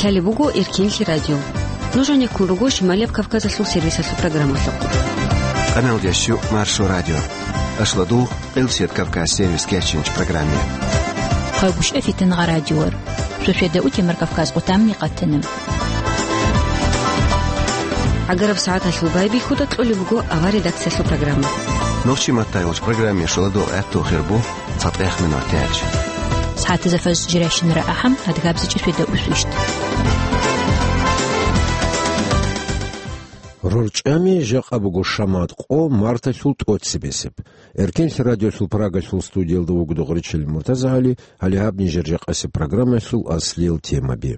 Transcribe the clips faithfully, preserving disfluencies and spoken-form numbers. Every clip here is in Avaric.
Лъалеб буго Эркенлъи радио. Нуж гьанеккун руго Шималияб Кавказалъул сервисалъул программалъухъ. Къаналдиясчу Маршо радио. Ашладул, Къилсият Кавказ сервис кечинч программе. Хъагушев Фитнагъа радиор. Суседа утемар Кавказ къутамни къатана. ГӀагараб сагӀаталъул байбихьуда кьолеб буго авар редакциялъул программа. Нурчи Маттаевич программе шуладул гӀатту хирбу. ЦатӀехъ минут тяч. СагӀатазда фаз жиращинара ахӀам, адгабзичӀи светаусвищ. РорчӀами жакъа буго шамат къо марталъул тӀоцебесеб. Эркенлъи радиолъул Прагалъул студиялда вугода гъоричил Муртазагьали, гьале гьаб нижер жакъасеб программалъул аслиял темаби.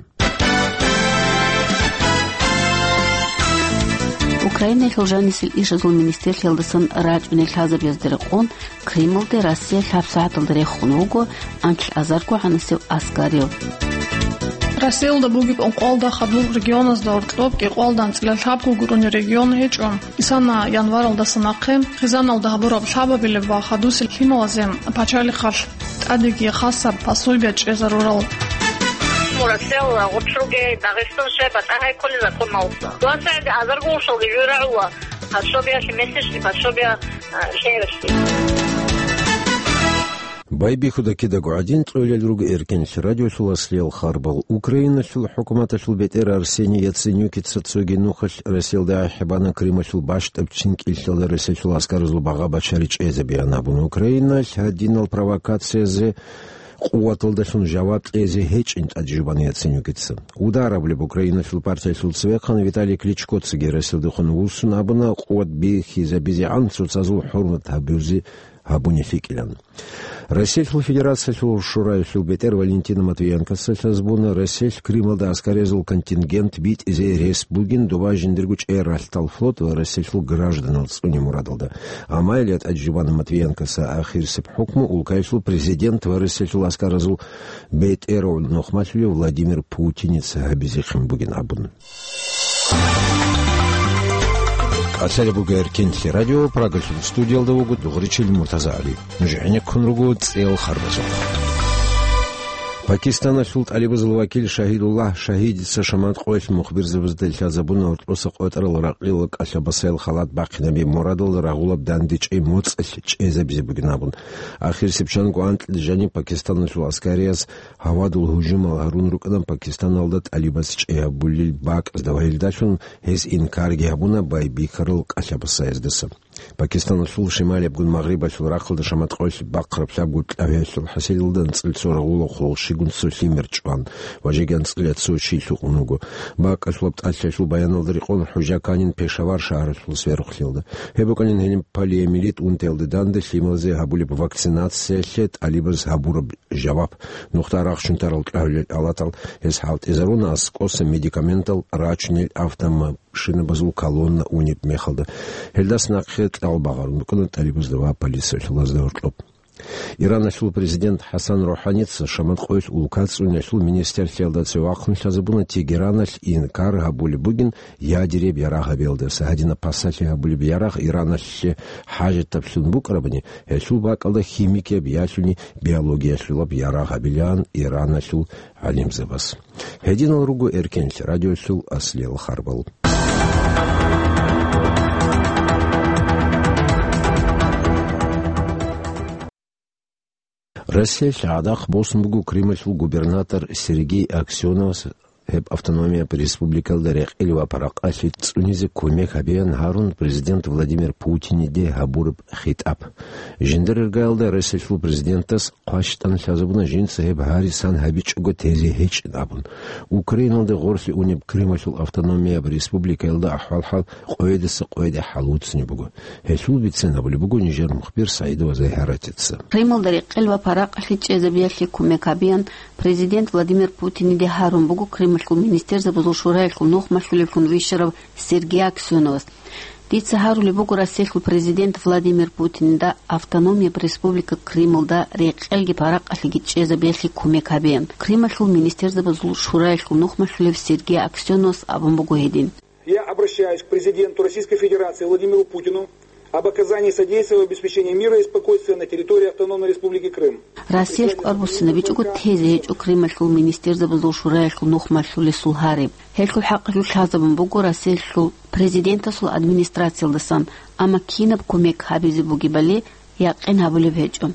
Украинаялъул жанисел ишазул министрлъиялдасан рачӀунел лъазабазда рекъон, Кремлде Россия лъаб сагӀаталда рехун вуго анкьазарго гӀанасев аскарив. Россиялда бугеб ункъоялда хадур регионазда гьоркьоб кӀикъоялда анцӀила лъабго гурони регион гьечӀо. Исана январалдаса нахъе хизаналда гьабураб лъабабилеб ва хадусел лъималазе пачалихъалъ тӀадеги хасаб пособие чӀезарурал. Мурасел гъучӀруге Дагъистан щай батӀа гьай кколел законалса. Дугьацаги азарго ушалги жуй рагӀула, пособиялъе месячный пособие, а, лъеялъе. Байбихьуда кидаго гӀадин, цӀолел руго Эркенлъи радиолъул аслиял харбал. Украиналъул хӀукуматалъул бетӀер Арсений Яценюкица цоги нухалъ Россиялда гӀехӀебана Крымалъул бащдаб чинкӀиллъалда Россиялъул аскаразул багъа-бачари чӀезабеян абун. Украиналъ гьадинал провокациязе къуваталдалъун жаваб кьезе гьечӀин тӀаде жубана Яценюкица. Удар абулеб Украиналъул партиялъул цевехъан Виталий Кличкоцаги Россиялдехун вуссун абуна, къуват бихьизабизегӀан цоцазул хӀурмат гьабузе гьабуни лъикӀилан. Россиялъул Федерациялъул Шураялъул бетӀер Валентина Матвиенкоца лъазабуна, Россиялъ Крымалда аскарязул контингент битӀизе рес бугин, доба жиндирго чӀей ралъдал флот ва Россиялъул гражданал цӀуне мурадалда. Амма гьеле тӀаде жубана Матвиенкоца ахирисеб хӀукму улкаялъул президент ва Россиялъул аскаразул бетӀергьан нухмалъулев Владимир Путиница гьабизехъин бугин абун. Лъалеб буго Эркенлъи радио, Прагалъул студиялда вуго дугъричил Муртазагьали. Нуж гӀенеккун руго цӀел харбазухъ. Пакистаналъул тӀалибазул вакил Шагьидуллагь Шагьидица шамат къоялъ мухбирзабазда лъазабуна гьоркьоса къотӀарал ракълил кӀалъабасаял халат бахъинаби мурадалда рагъулаб дандечӀей моцӀалъ чӀезабизе бугин абун. Ахирисеб чанго анкьида жаниб Пакистаналъул аскарияс гьавадул гьужумал гьарун рукӀана Пакистаналда тӀалибаз чӀей гьабулел бакӀазда ва гьелдалъун гьез инкарги гьабуна байбихьарал кӀалъабасаздаса. Пакистаналъул шималиябгун магърибалъул рахъалда шамат къоялъ бахъараб лъабго кӀагӀиялъул хӀасилалда анцӀила цо рагъула хъулухъ щигун цо лъимер чӀван ва жеги анцӀила цо чи лъукъун вуго. БакӀалъулаб тӀалъиялъул баяналда рекъон ХӀужа Канин Пешавар шагьаралъул сверухълъиялда. Гьеб букӀанин гьениб полиомиелит унтиялда данде лъималазе гьабулеб вакцинациялъе тӀалибаз гьабураб жаваб. Нухда рахчун тарал кӀагӀулел алатал гьез хӀалтӀизаруна аскӀоса медикаментал рачунел автомашинабазул колонна унеб мехалда. Гьелдаса нахъе кьал багъарун букӀана тӀалибазда ва полициялъулазда гьоркьоб. Ираналъул президент ХӀасан РухӀаница шамат къоялъ улка цӀуниялъул министрлъиялда цевахъун лъазабуна Тегераналъ инкар гьабулеб бугин ядереб ярагъ гьабиялдаса. Гьадинаб пасалъи гьабулеб ярагъ Ираналъе хӀажатаблъун букӀарабани, гьелъул бакӀалда химикияб ялъуни биологиялъулаб ярагъ гьабилаан Ираналъул гӀалимзабаз. Гьединал руго Эркенлъи радиолъул аслиял харбал. Россиялъ гӀадахъ босун буго Крымалъул губернатор Сергей Аксеновас гьеб автономияб республикалда рекъел ва паракъалъи цӀунизе кумек гьабеян гьарун президент Владимир Путиниде гьабураб хитӀаб. Жиндир иргаялда Россиялъул президентас хъващтӀан лъазабуна жинца гьеб гьарисан гьабичӀого тезе гьечӀин абун. Украиналде гъорлъе унеб Крымалъул автономияб республикаялда ахӀвал-хӀал къоядаса къояде хӀалуцни буго. Гьелъул бицен абулеб буго нижер мухбир СагӀидова Загьаратица. Крымалда рекъел ва паракъалъи чӀезабиялъе кумек гьабеян президент Владимир Путиниде гьарун буго Крымалъул министерзабазул шураялъул нухмалъулевлъун вищарав Сергей Аксеновас. Дица гьарулеб буго Россиялъул президент Владимир Путинда автономияб республика Крымалда рекъелги паракъалъиги чӀезабиялъе кумек гьабеян. Крымалъул министерзабазул шураялъул нухмалъулев Сергей Аксеновас абун буго гьедин. Я обращаюсь к президенту Российской Федерации Владимиру Путину об оказании содействия в обеспечении мира и спокойствия на территории Автономной Республики Крым. Россиялъ кӀвар буссинабичӀого тезе гьечӀо Крымалъул министерзабазул шураялъул нухмалъулесул гьариб. Гьелъул хӀакъалъулъ лъазабун буго Россиялъул президентасул администрациялдасан, амма кинаб кумек гьабизе бугебали якъин гьабулеб гьечӀо.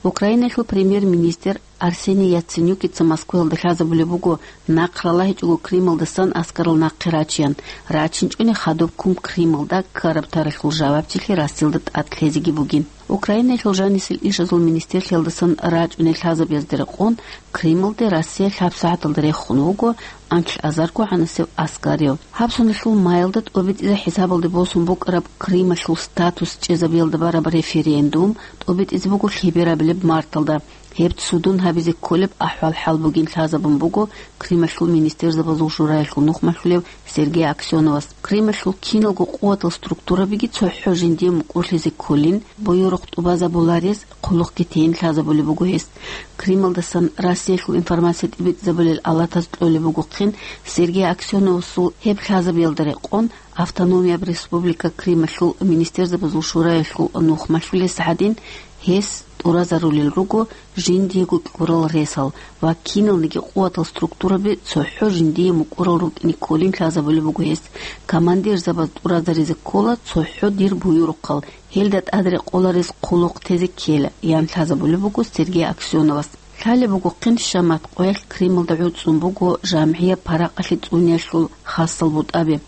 Украинаялъул премьер-министр Арсений Яценюкица Москваялда лъазабулеб буго нахъ ралагьичӀого Крымалдасан аскарал нахъе рачеян, рачинчӀони хадубккун Крымалда ккараб таралъул жавабчилъи Россиялда тӀад лъезеги бугин. Украинаялъул жанисел ишазул министрлъиялдасан рачӀунел лъазабиязда рекъон, Крымалде Россия лъабсагӀаталда рехун вуго анлъ азарго гӀанасев аскарив. Гьаб соналъул маялда тӀобитӀизе хӀисабалде босун букӀараб Крымалъул статус чӀезабиялда бараб референдум тӀобитӀизе буго лъеберабилеб марталда. Гьеб цудун гьабизе кколеб ахӀвал-хӀал бугин лъазабун буго Крымалъул министерзабазул шураялъул нухмалъулев Сергей Аксеновас. Крымалъул киналго къуватал структурабиги цохӀо жиндие мукӀурлъизе кколин, буюрухъ тӀубазабуларез хъулухъги тейин лъазабулеб буго гьес. Крымалдасан Россиялъул информация тӀибитӀизабулел алатаз кьолеб бугохъин, Сергей Аксеновасул гьеб лъазабиялда рекъон, Автономияб Республика Крымалъул министерзабазул шураялъул нухмалъулес гьадин, гьес тӀуразарулел руго жиндиего кьурал ресал ва киналниги къуватал структураби цохӀо жиндие мукӀурал рукӀине кколин лъазабулеб буго гьес. Командирзабаз тӀуразаризе ккола цохӀо дир буюрухъал, гьелда тӀад рекъоларез хъулухъ тезе ккела, ян лъазабулеб буго Сергей Аксеновас. Лъалеб бугохъин, шамат къоялъ Крымалда гӀуцӀун буго жамгӀияб паракъалъе цӀуниялъул хасал бутӀаби.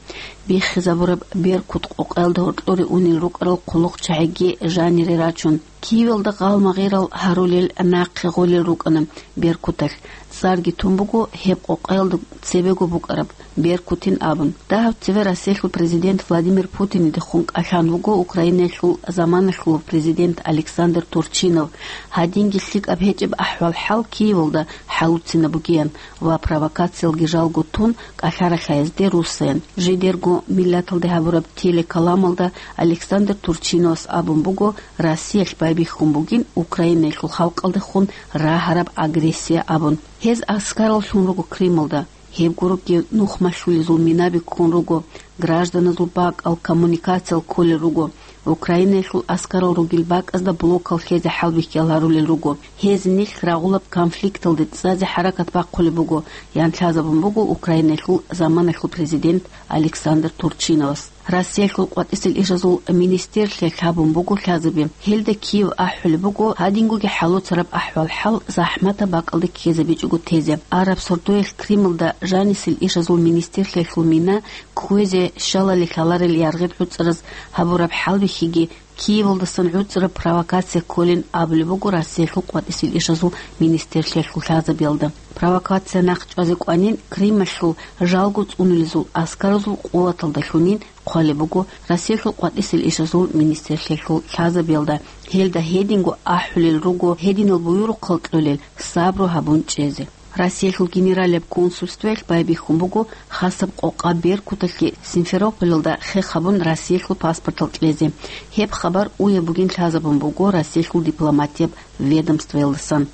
Биххизабураб «Беркут» къокъаялда гьоркьоре унел рукӀарал хъулухъчагӀиги жанире рачун, Киевалда гъалмагъирал гьарулел нахъе гъолел рукӀана «Беркуталъ». ЦӀарги тун буго гьеб къокъаялда цебего букӀараб «Беркутин» абун. Дагьаб цеве Россиялъул президент Владимир Путинидехун кӀалъан вуго Украинаялъул заманалъулав президент Александр Турчинов, гьадинги лъикӀаб гьечӀеб ахӀвал-хӀал Киевалда хӀалуцина бугеян ва провокациялги жалго тун кӀалъаралъаязде руссаян. Жидерго миллаталде гьабураб телекаламалда Александр Турчиновас абун буго, Россиялъ байбихьун бугин Украинаялъул халкъалдехун рагьараб агрессия абун. Гьез аскарал лъун руго Крымалда. Гьеб гуроги нухмалъулезул минаби ккун руго, гражданазул бакӀал, коммуникациял кколел руго. Украинаялъул аскарал ругел бакӀазда блокал хьезе хӀалбихьиял гьарулел руго. Гьез нилъ рагъулаб конфликталде цӀазе хӀаракат бахъулеб буго, ян лъазабун буго Украинаялъул заманалъул президент Александр Турчиновас. Россиялъул къватӀисел ишазул министрлъиялъ гьабун буго лъазаби. Гьелда Киев ахӀулеб буго гьадингоги хӀалуцараб ахӀвал-хӀал захӀматаб бакӀалде ккезабичӀого тезе. Араб сордоялъ Крымалда жанисел ишазул министрлъиялъул мина кквезе щалали лъаларел яргъиб гӀуцӀараз гьабураб хӀалбихьиги Киевалдасан гӀуцӀраб провокация кколин абулеб буго Россиялъул къватӀисел ишазул министрлъиялъул лъазабиялда. Провокация нахъ чӀвазе кӀванин, Крымалъул жалго цӀунулезул аскаразул къуваталдалъунин хъвалеб буго Россиялъул къватӀисел ишазул министрлъиялъул лъазабиялда. Гьелда гьединго ахӀулел руго гьединал буюрухъал кьолел, сабру гьабун чӀезе. Россиялъул генералияб консульствоялъ байбихьун буго хасаб къокъа Беркуталъе Симферополалда хех гьабун Россиялъул паспортал кьезе. Гьеб хабар уяб бугин лъазабун буго Россиялъул дипломатияб ведомствоялдасан.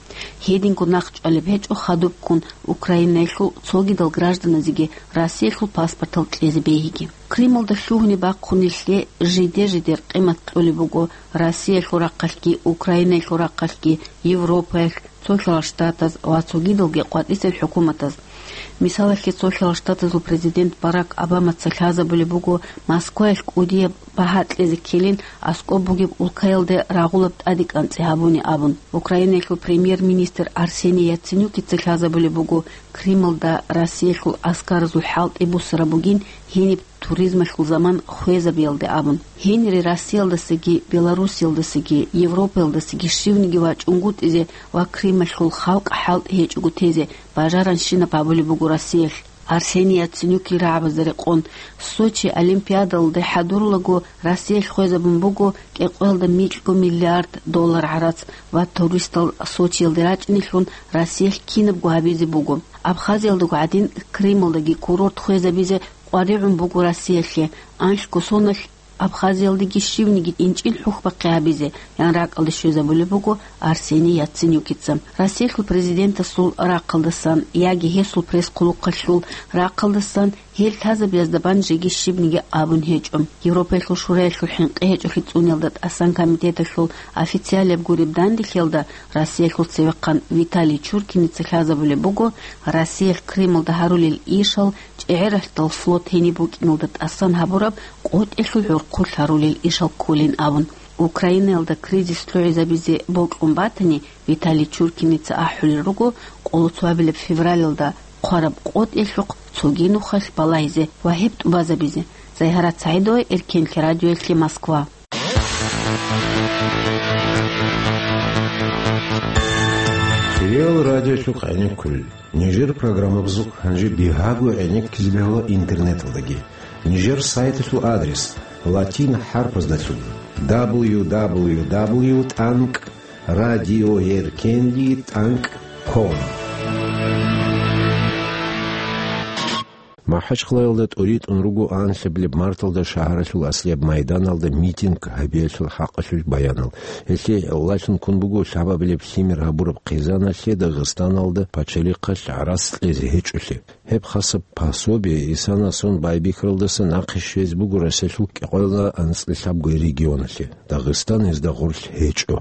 Гьединго нахъ чӀвалеб гьечӀо хадубккун Украинаялъул цогидал гражданазеги Россиялъул паспортал кьезе бегьиги. Крымалда лъугьунеб бахъунелъе жиде-жидер къимат кьолеб буго Россиялъул рахъалъги, Украинаялъул рахъалъги, Европаялъ, Цо-лъала Штатаз ва цогидалги къватӀисел хӀукуматаз. Мисалалъе, Цо-лъала Штатазул президент Барак Обамаца лъазабулеб буго Москваялъ кӀудияб багьа кьезе ккелин аскӀоб бугеб улкаялде рагъулаб тӀаде кӀанцӀи гьабуни абун. Украинаялъул премьер-министр Арсений Яценюкица лъазабулеб буго Крымалда Россиялъул аскаразул хӀалтӀи буссараб бугин гьениб туризмалъул заман хвезабиялде абун. Гьенире Россиялдасаги, Белоруссиялдасаги, Европаялдасаги щивниги вачӀунгутӀизе ва Крымалъул халкъ хӀалтӀи гьечӀого тезе бажаранщинаб гьабулеб буго Россиялъ. Арсений Яценюкил рагӀабазда рекъон, Сочи Олимпиадалде хӀадурулаго Россиялъ хвезабун буго кӀикъоялда микьго миллиард доллар гӀарац ва туристал Сочиялде рачӀинелъун Россиялъ кинабго гьабизе буго. Абхазиялдаго гӀадин, Крымалдаги курорт хвезабизе къваригӀун буго Россиялъе, анлъго соналъ Абхазиялдаги щивниги инчӀин хӀухьбахъи гьабизе, ян ракӀалде щвезабулеб буго Арсений Яценюкица. Россиялъул президентасул рахъалдасан яги гьесул пресс-хъулухъалъул рахъалдасан Гьел лъазабиязда бан жеги щибниги абун гьечӀо. Европаялъул Шураялъул хӀинкъи гьечӀолъи цӀуниялда тӀасан комитеталъул официалияб гуреб данделъиялда Россиялъул цевехъан Виталий Чуркиница лъазабулеб буго, Россиялъ Крымалда гьарулел ишал ЧӀегӀералъдал флот гьениб букӀиналда тӀасан гьабураб къотӀелъул гӀурхъулъ гьарулел ишал кколин абун. Украинаялда кризис лъугӀизабизе бокьун батани, Виталий Чуркиница ахӀулел руго, къоло цоабилеб февралалда хъвараб къотӀелъухъ цоги нухалъ балагьизе ва гьеб тӀубазабизе. Зайгьарат СагӀидова, Эркенлъи радиоялъе, Москва. Реал радиолъухъ гӀенеккулел. Нижер программабазухъ гьанже бигьаго гӀенеккизе бегьула интернеталдаги. Нижер сайталъул адрес латин хӀарпаздалъун: дабл ю дабл ю дабл ю тӀанкӀ радиоеркенли тӀанкӀ ком. МахӀачхъалаялда тӀуритӀун руго анлъабилеб марталда шагьаралъул аслияб майданалда митинг гьабиялъул хӀакъалъулъ баянал. Гьелъие гӀолалъун ккун буго лъабабилеб лъимер гьабураб хъизаналъе Дагъистаналда пачалихъалъ гӀарац кьезе гьечӀолъи. Гьеб хасаб пособие исана сон байбихьаралдаса нахъе щвезе буго Россиялъул кӀикъоялда анцӀила лъабго регионалъе. Дагъистан гьезда гъорлъ гьечӀо.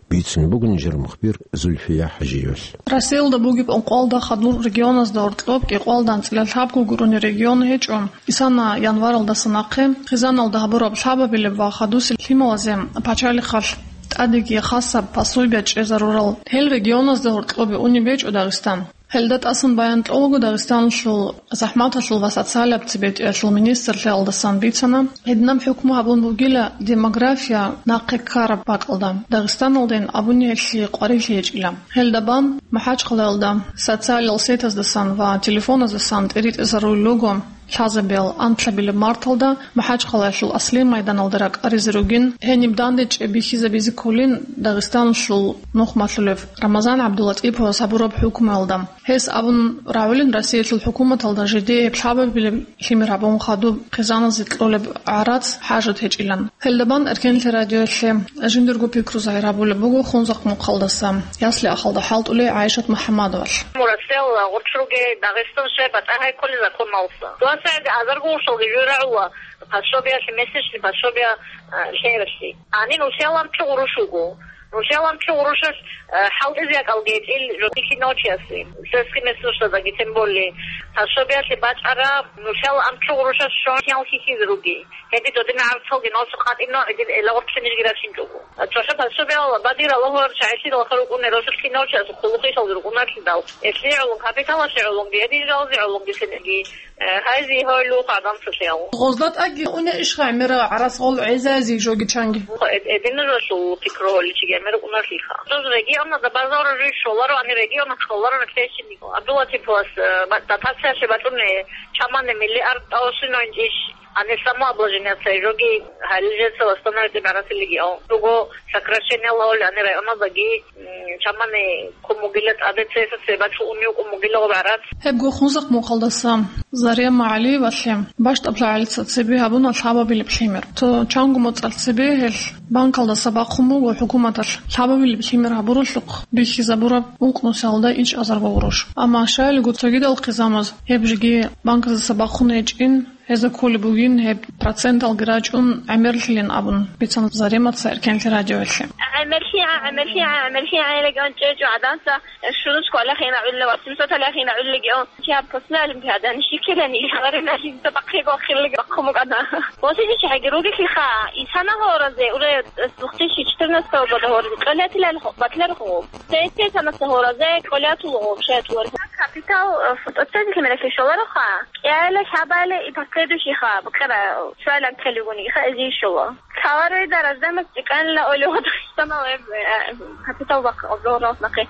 Бицунеб буго нижер мухбир Зульфия ХӀажиевалъ. Россиялда бугеб ункъоялда хадур регионазда гьоркьоб кӀикъоялда анцӀила лъабго гурони регион гьечӀо. Исана январалдаса нахъе хъизаналда гьабураб лъабабилеб ва хадусел лъималазе пачалихъалъ тӀадеги хасаб пособие чӀезарурал гьел регионазда гьоркьобе унеб гьечӀо Дагъистан. Гьелда тӀасан баян кьолаго Дагъистаналъул захӀматалъул ва социалаб цебетӀиялъул министрлъиялдасан бицана, гьединаб хӀукму гьабун бугила демография нахъе ккараб бакӀалда, Дагъистаналдайин абуни гьелъие къварилъи гьечӀила. Гьелда бан МахӀачхъалаялда социалал сетаздасан ва телефоназдасан тӀиритӀизарулел руго лъазабиял анлъабилеб марталда МахӀачхъалаялъул аслияб майданалда ракӀаризе ругин, гьениб дандечӀеб бихьизабизе кколин Дагъистаналъул нухмалъулев Рамазан ГӀабдуллатӀиповас гьабураб хӀукмуялда. Гьес абун рагӀулин Россиялъул хӀукуматалда жидее гьеб лъабабилеб лъимер гьабун хадуб хъизаназе кьолеб гӀарац хӀажат гьечӀилан. Гьелда бан Эркенлъи радиоялъе жиндирго пикру загьир гьабулеб буго Хунзахъ мухъалдаса ясли-ахалда хӀалтӀулей ГӀайшат МухӀаммадовалъ. Мурасел гъурччуги Дагъистан щай батӀа гьайккули законалса. Дугьа сагӀиди азарго уршалги жуй рагӀула пособиялъе, месячный пособия, а, лъегӀерлъи. Гьанин усиялан чугъ уруш вуго. Нушалан чугъ урушалъ, э, хӀалтӀизе якӀалги гьечӀил жо бихьинав чиясе. Сельский местностаздаги тем более. Пособиялъе бачӀараб нушал ан чугъ урушалъ щон хиял хьихьизе руги. Гьебги додина гӀарцалги носу къатӀино гӀедин элагъорцинижги рачинчӀого. ЦохӀо пособиял бадир Аллагьу чагӀилъидал хъа рукӀуне росулъ кинав чиясул хъулухъ ишалги рукӀунарлъидал. Эслъи гӀолун капиталалъе гӀолунги, гьедин жалазе гӀолунги сенги. Э, гьайзе гьавилухъ гӀадамцалъяв. Гъозда тӀаги уне ишха гӀемера гӀарас гъол гӀезази жоги чанги. Эд-, эдиназулъул пикру гьоличи гӀемер унарлъиха. Жуз регионазда базару жуй шоларо, ани регион кколаро наклейщинник. Абдулатиповас, э, ба-, дотациялъе бачӀуни чамани миллиард тӀаусино инчӀищ, ани самообложениеца жоги гьалил жеца восстановить гӀаратилигияв. Дуго сокращение лъавли ани районаздаги М, чамани кумугила тӀаде цеса цебачӀун юкъу мугила гъубарат. Гьебго Хунзахъ мухъалдаса Зарема ГӀалиевалъе бащдаб лъагӀалица цебе гьабуна лъабабилеб лъимер. Цо чанго моцӀалъ цебе гьелъ банкалдаса бахъун буго хӀукуматалъ лъабабилеб лъимер гьабуралъухъ бихьизабураб ункънусиялда ичӀазарго гъурущ. Амма щайилго цогидал хъизамаз гьеб жеги банказдаса бахъун гьечӀин, Гьезда кколеб бугин гьеб проценталги рачӀун гӀемерлъилин абун, бицана Заремаца Эркенлъи радиоялъе. ГӀемерлъи, гӀемерлъи, гӀемерлъи гӀелеган чӀечӀо гӀаданса, шурус кколахина гӀулла ва семьсот алахина гӀуллагио. Киаб посна олимпиада, нишиккилани илгъарина жинца бахъиго хиллаги бахъумукӀана. Восизи чагӀиги ругелъиха, исана гьоразе, уре две тысячи четырнадцатого года гьоразе, кьолетилал батлер хъуб. Сессе санаса гьоразе, кьолетул гъуб, шетулар. Капитал, э, фотоцентр мелехи шолароха. КӀиайла хабале и последующий ха, букӀара, цоял анкьалигуни, иха эзийщула. Цаларуйда рождаемость тӀикӀанила оли гъодо, самал эб, э, капитал бахъ, обзорнос нахъе.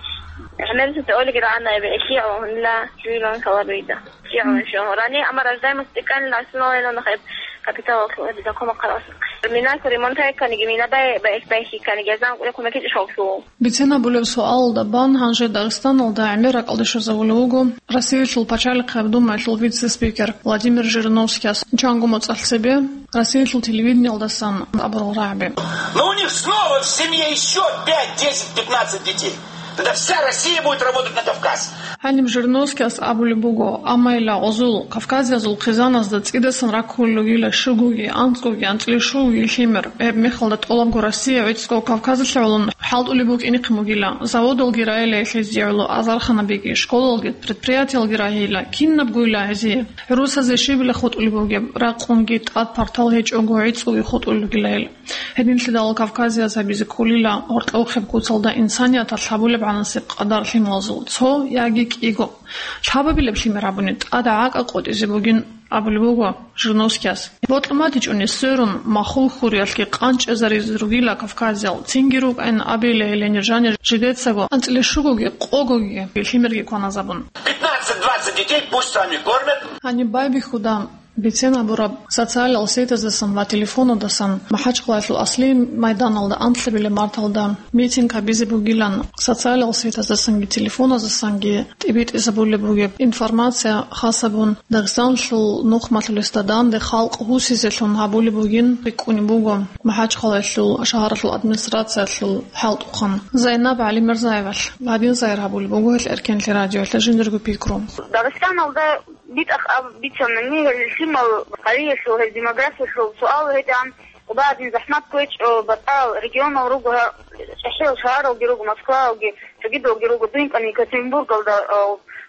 ГӀемерисеце олиги рагӀана эб, эхио, гьунила, жуйлан цаларуйда. КӀио, шо, рани, ама рождаемость тӀикӀанила, асуналайна нахъе капитал, э, дакома къарас. Мина ремонт гьайкканиги, мина бай, бай, байхикканиги, я знаю, кумекичӀ шоллъу. Бицен абулеб суалалда бан гьанже Дагъистаналда гӀемер ракӀалде щвезавулев вуго Россиялъул пачалихъияб думаялъул вице-спикер Владимир Жириновскияс. Чанго моцӀалъ цебе Россиялъул телевидениялдасан абурал рагӀаби. Но у них снова в семье ещё пять, десять, пятнадцать детей. Тогда вся Россия будет работать на Кавказ. Гьаниб Жириновскияс абулеб буго, амма ила гъозул кавказиязул хъизаназда цӀидасан раккулел ругила щугоги, анцӀгоги, анцӀила щугоги лъимер. Гьеб мехалда тӀолабго Россия гӀицӀго Кавказалъе гӀоло хӀалтӀулеб букӀинихъин бугила, заводалги рагьила гьезие гӀоло азарханабиги, школалги, предприятиялги рагьила, кинабгойила гьезие. ГӀурусазе щибила хутӀулеб бугеб, ракъунги тӀад партал гьечӀого гӀицӀгоги хутӀулел ругила гьел. Гьединлъидал Кавказияз гьабизе кколила гьоркьохъеб куцалда инсанияталъ гьабулеб гӀанасеб къадар лъималазул цо яги кӀиго. Лъабабилеб лъимер гьабуни тӀад гӀакӀа къотӀизе бугин абулеб буго Жириновскияс. Бокьун батичӀони сверун, махул хьуриялъги къанчӀезаризе ругила кавказиял, цинги рукӀайин абейила гьеле нижани жидецаго анцӀила щугоги къогоги лъимерги кваназабун. Пятнадцать-двадцать детей пусть сами кормят. Гьаниб байбихьуда. Бицен абураб, социалал сетаздасан ва телефонадасан МахӀачхъалаялъул аслияб майданалда анлъабилеб марталда митинг гьабизе бугилан, социалал сетаздасанги телефоназдасанги тӀибитӀизабулеб бугеб информация хас гьабун, Дагъистаналъул нухмалъулесда данде халкъ гьусизелъун гьабулеб бугин рикӀкӀунеб буго МахӀачхъалаялъул шагьаралъул администрациялъул хӀалтӀухъан Зайнаб ГӀалимирзаевалъ. Гьадин сайир гьабулеб буго гьел Эркенлъи радиоялъ жиндирго пикру. Дагъистаналда битӀахъ аб-, бицанани, гьел лъимал гьариялъул, гьел демографиялъул суал гьедигӀан, къуба гьадин захӀмат кквечӀо, батӀал регионал руго, гьа-, чӀахӀиял шагьаралги руго, Москваялги, цогидалги руго, дуйин кӀани Екатеринбургалда, а,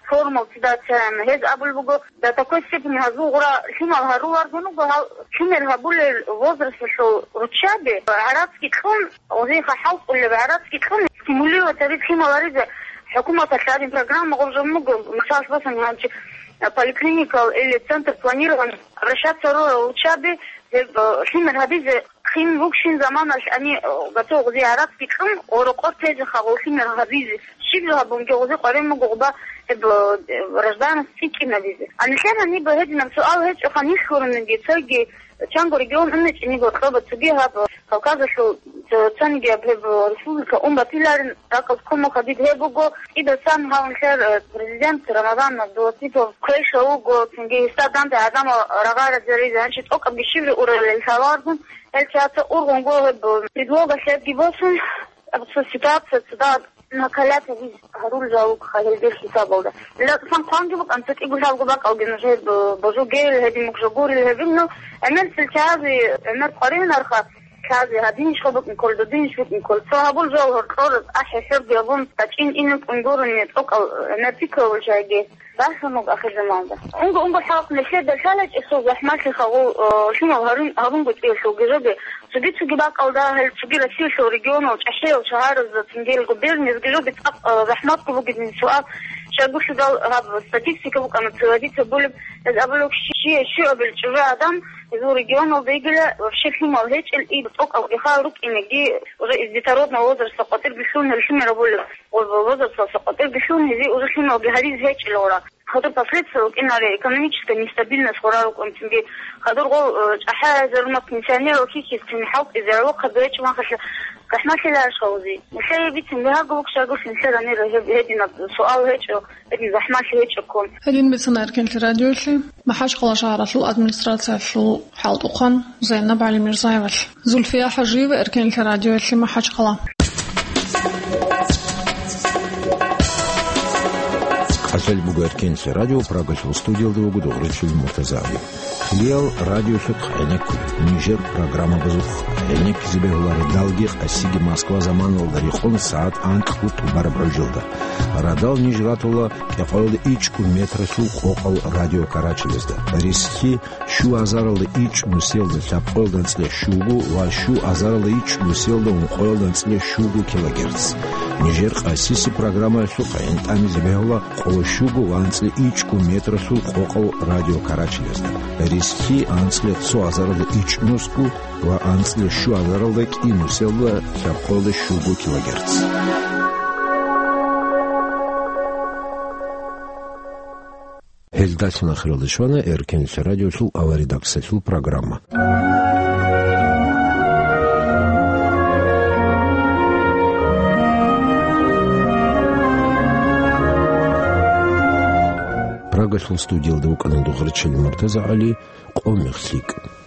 форумал цидацаян. Гьез абулеб буго, до такой степени гьазул гъура лъимал гьаруларгун руго, гьал лъимер гьабулел возрасталъул руччаби гӀарацги кьун, гъозиеха хӀалтӀулеб гӀарацги кьун, стимулировать гьаризе, лъимал гьаризе хӀукуматалъ гьадин программа гъоркье буго, мисалалъ босани гьанчи, а, поликлиникал или центр планирования обращаться рурал руччаби, гьеб, а, лъимер гьабизе хин вукӀин заманалъ гьани, а, гьатӀа гъозие гӀарацги кьун, гъорокъор тезе хагъул лъимер гьабизе. Щиб жо гьабунги гъозе къваригӀун буго гъоба гьеб, а, гражданство цӀикӀкӀинабизе. А нилъер гьаниб гьединаб суал гьечӀоха, нилъ гурониги, цоги чанго регион унечӀониги, гьоркьоба цоги гьаб Кавказалъул цо-, цониги гьаб гьеб республика ун батиларин, ракӀалде ккун буго, гьадин гьеб буго. КӀидасан гьав нилъер, э, президент Рамазан Абдулатипов квеша вуго, цинги гьесда данде гӀадамал рагъаразаризе, гьанчи тӀокӀабги щиб жо уралел лъаларгун, гьел чияца ургъунго гьеб предлога лъебги босун, аб-, цо ситуация цо дагь накалят гьабиз гьарулел жалугъха гьелдер хӀисабалда. Лаксан хъванги букӀан, цо кӀиго лъабго бакӀалги нужер бо-, божугел, гьедин мукӀ жо гурел гьебил, ну, гӀемер цел чиязе, гӀемер къваригӀунарха чиязе, гьадинищха букӀин ккол, додинищ букӀин ккол. Цо гьабул жо гьоркьор ахӀи-хӀурги гьабун, бачӀин инел кӀун гурони тӀокӀал гӀемер пикру гьабул чагӀиги. Бахъун буго ахирзаманда. Унго-унго халкъ нилъеда лъалачӀесул захӀмалъи хагъу, э, лъимал гьарун-, гьарунго цӀиялъулги жоги, цоги-цоги бакӀалда гьел цоги Россиялъул регионал чӀахӀиял шагьаразда цинги губерниязги жоги цӀакъ, э, захӀматго бугебин суал. Щайгурелъул гьаб статистика букӀана цевадица булеб, гьез абулеб, щи-, щи-, щуабил чӀужу адам гьезул регионалда йигила, вообще лъимал гьечӀел, и тӀокӀал ихал рукӀинеги, уже из детородного возраста къватӀирги лъун гьел лъимер абулеб. Возрасталъа къватӀирги лъун, гьезие уже лъималги гьаризе гьечӀилалра. Гьадур последствия рукӀинаре, экономическая нестабильность гъура рукӀунцинги, гьадур гъол, э, чӀахӀиязарумал пенсионерал хьихьизцин хӀалтӀизе гӀолохъаби гьечӀо махалъа, захӀмалъила гьарш гьавузи. Нилъее бицин, бегьаго букӀагулъ нилъер гьанир гьеб-, гьединаб суал гьечӀо, гьедин захӀмалъи гьечӀоккун. Гьедин бицана Эркенлъи радиоялъе МахӀачхъала шагьаралъул администрациялъул хӀалтӀухъан Зайнаб ГӀалимирзаевалъ. Зульфия ХӀажиева, Эркенлъи радиоялъе, МахӀачхъала. КӀалъалеб буго Эркенлъи радио, Прагалъул студиялда вуго Дугъричилев Муртазагьли. Лиял радиолъухъ гӀенеккун, нижер программабазухъ гӀенеккизе бегьуларо далги къасиги Москва заманалда рекъон сагӀат анкьго тӀубараб гӀужалда. Радал ниж ратула кӀикъоялда ичӀго метралъул къокъал радио карачелезда. Рисхьи щу азаралда ичӀ нусиялда лъабкъоялда анцӀила щуго ва щу азаралда ичӀ нусиялда ункъоялда анцӀила щуго килогерц. Нижер къасиси программаялъухъ гӀинтӀамизе бегьула къоло щуго ва анцӀила ичӀго метралъул къокъал радио карачелезда. Рисхьи анцӀила цо азаралда ичӀ нусго ва анцӀила щу азаралда кӀи нусиялда лъабкъоялда щуго килогерц. Гьелдалъун ахиралде щвана Эркенлъи радиолъул аваридаксалъул программа. Прагалъул студиялда вукӀана Дугъричилев Муртазагьли, «Къо мех лъикӀ».